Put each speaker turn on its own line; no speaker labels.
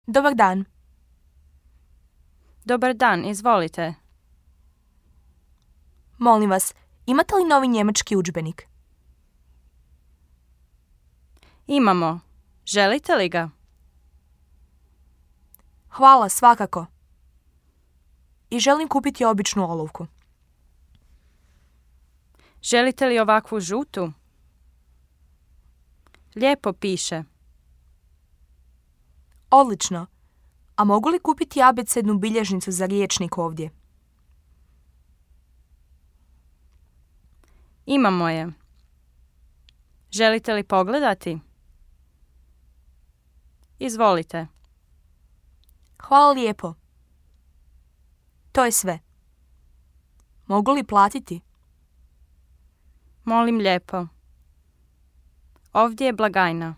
Dobar dan.
Dobar dan, izvolite.
Molim vas, imate li novi njemački udžbenik?
Imamo. Želite li ga?
Hvala, svakako. I želim kupiti običnu olovku.
Želite li ovakvu žutu? Lijepo piše.
Odlično. A mogu li kupiti abecednu bilježnicu za rječnik ovdje?
Imamo je. Želite li pogledati? Izvolite.
Hvala lijepo. To je sve. Mogu li platiti?
Molim lijepo. Ovdje je blagajna.